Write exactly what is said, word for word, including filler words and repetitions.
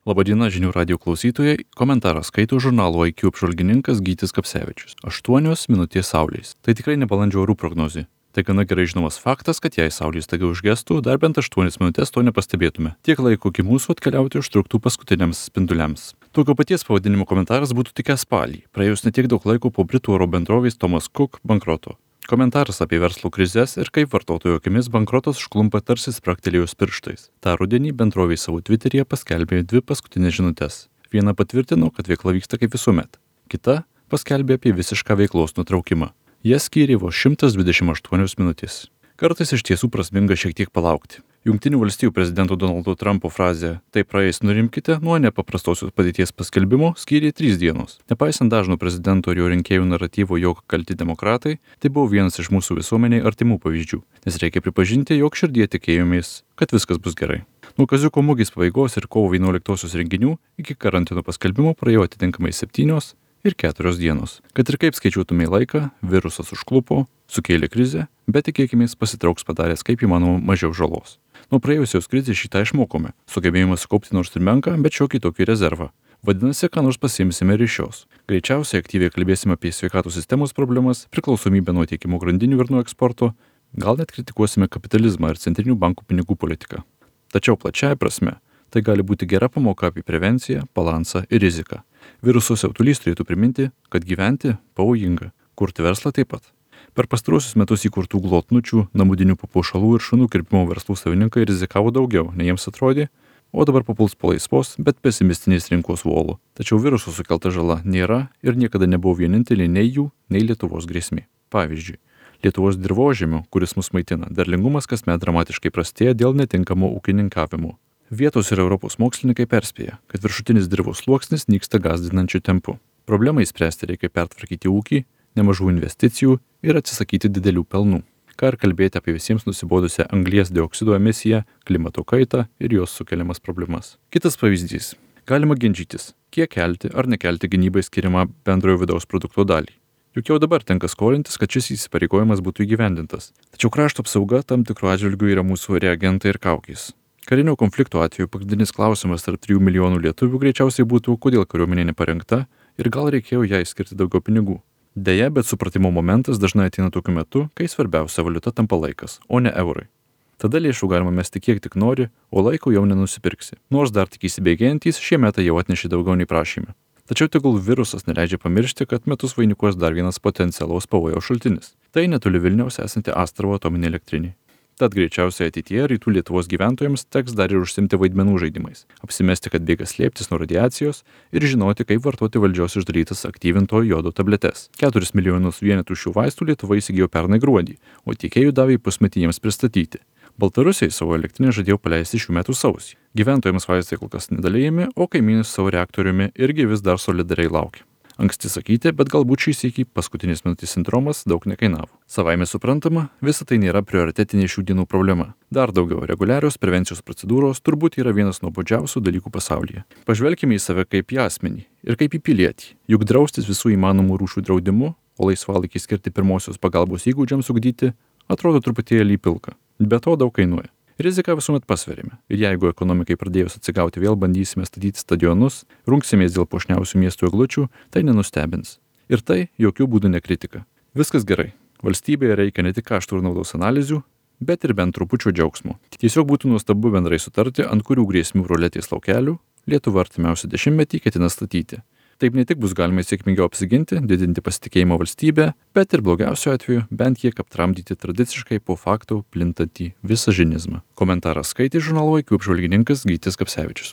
Labadiena žinių radijo klausytojai, komentarą skaito žurnalo I Q apžvalgininkas Gytis Kapsevičius. Aštuonios minutės saulės. Tai tikrai ne balandžio orų prognozė. Tai gana gerai žinomas faktas, kad jei saulės staiga užgestų, dar bent aštuonias minutės to nepastebėtume. Tiek laiko iki mūsų atkeliauti užtruktų paskutiniams spinduliams. Tokio paties pavadinimo komentaras būtų tikęs spalį, praėjus netiek daug laiko po Britų oro bendrovės Thomas Cook bankroto. Komentaras apie verslo krizes ir kaip vartotojų akimis bankrotas užklumpa tarsi spragtelėjus pirštais. Ta rudenį bendrovė savo Twitteryje paskelbė dvi paskutinės žinutes. Viena patvirtino, kad veikla vyksta kaip visuomet. Kita paskelbė apie visišką veiklos nutraukimą. Jie skyrė vos šimtas dvidešimt aštuonios minutės. Kartais iš tiesų prasminga šiek tiek palaukti. Jungtinių valstijų prezidento Donaldo Trumpo frazė "tai praeis nurimkite" nuo nepaprastosios padėties paskelbimo skyrė trys dienos. Nepaisant dažno prezidento ir jo rinkėjų naratyvo, jog kalti demokratai, tai buvo vienas iš mūsų visuomeniai artimų pavyzdžių, nes reikia pripažinti, jog širdie tikėjomės, kad viskas bus gerai. Nuo Kaziuko mugės pabaigos ir kovo vienuoliktosios renginių iki karantino paskelbimo praėjo atitinkamai septynios ir keturios dienos. Kad ir kaip skaičiuotumei laiką, virusas užklupo, sukėlė krizę, bet tikėkimės pasitrauks padaręs kaip įmanoma mažiau žalos. Nuo praėjusios krizės šitą išmokome, sugebėjome sukaupti nors ir menką, bet šiokį tokį rezervą. Vadinasi, ką nors pasiimsime ir iš šios. Greičiausiai aktyviai kalbėsime apie sveikatos sistemos problemas, priklausomybę nuo tiekimo grandinių ir nuo eksporto, gal net kritikuosime kapitalizmą ir centrinių bankų pinigų politiką. Tačiau plačiaja prasme, tai gali būti gera pamoka apie prevenciją, balansą ir riziką. Viruso siautulys turėtų priminti, kad gyventi pavojinga, kurti verslą taip pat. Per pastaruosius metus įkurtų glotnučių, namudinių papuošalų ir šunų kirpimo verslų savininkai rizikavo daugiau, nei jiems atrodė, o dabar papuls po laisvos, bet pesimistinės rinkos volų. Tačiau viruso sukelta žala nėra ir niekada nebuvo vienintelė nei jų, nei Lietuvos grėsmė. Pavyzdžiui, Lietuvos dirvožemio, kuris mus maitina, derlingumas kasmet dramatiškai prastėja dėl netinkamo ūkininkavimo. Vietos ir Europos mokslininkai perspėja, kad viršutinis dirvos sluoksnis nyksta gąsdinančiu tempu. Problemai spręsti reikia pertvarkyti ūkį, nemažų investicijų ir atsisakyti didelių pelnų. Ką ir kalbėti apie visiems nusibodusią anglies dioksido emisiją, klimato kaitą ir jos sukeliamas problemas. Kitas pavyzdys. Galima ginčytis, kiek kelti ar nekelti gynybai skiriamą bendrojo vidaus produkto dalį. Juk jau dabar tenka skolintis, kad šis įsipareigojimas būtų įgyvendintas. Tačiau krašto apsauga tam tikru atžvilgiu yra mūsų reagentai ir kaukės. Karinio konflikto atveju pagrindinis klausimas tarp trijų milijonų lietuvių greičiausiai būtų, kodėl kariuomenė neparengta ir gal reikėjo jai skirti daugiau pinigų. Deja, bet supratimo momentas dažnai ateina tokiu metu, kai svarbiausia valiuta tampa laikas, o ne eurai. Tada lėšų galima mesti kiek tik nori, o laiko jau nenusipirksi. Nors dar tik įsibėgėjantys, šie metai jau atnešė daugiau nei prašyme. Tačiau tegul virusas neleidžia pamiršti, kad metus vainikuos dar vienas potencialaus pavojaus šaltinis. Tai netoli Vilniaus esanti Astravo atominė elektrinė. Tad greičiausiai ateityje rytų Lietuvos gyventojams teks dar ir užsimti vaidmenų žaidimais, apsimesti, kad bėga slėptis nuo radiacijos ir žinoti, kaip vartoti valdžios išdarytas aktyvinto jodo tabletes. Keturis milijonus vienetų šių vaistų Lietuva įsigijo pernai gruodį, o tiekėjų davė pusmetį jiems pristatyti. Baltarusiai savo elektrinę žadėjo paleisti šių metų sausį. Gyventojams vaistai kol kas nedalijami, o kaimynas savo reaktoriumi irgi vis dar solidariai laukia. Anksti sakyti, bet galbūt šį sykį paskutinės minutės sindromas daug nekainavo. Savaime suprantama, visa tai nėra prioritetinė šių dienų problema. Dar daugiau, reguliarios prevencijos procedūros turbūt yra vienas nuobodžiausių dalykų pasaulyje. Pažvelkime į save kaip į asmenį ir kaip į pilietį. Juk draustis visų įmanomų rūšių draudimu, o laisvalaikį skirti pirmosios pagalbos įgūdžiams ugdyti, atrodo truputėlį pilka. Be to daug kainuoja. Riziką visuomet pasverime. Ir jeigu ekonomikai pradėjus atsigauti vėl bandysime statyti stadionus, rungsimės dėl puošniausių miestų eglučių, tai nenustebins. Ir tai jokių būdų ne kritika. Viskas gerai. Valstybėje reikia ne tik kaštų ir naudos analizių, bet ir bent trupučio džiaugsmo. Tiesiog būtų nuostabu bendrai sutarti, ant kurių grėsmių ruletės laukelių Lietuva artimiausią dešimtmetį ketina statyti. Taip ne tik bus galima sėkmingiau apsiginti, didinti pasitikėjimą valstybę, bet ir blogiausiu atveju bent kiek aptramdyti tradiciškai po faktų plintantį visažinizmą. Komentarą skaitė žurnalo I Q apžvalgininkas Gytis Kapsevičius.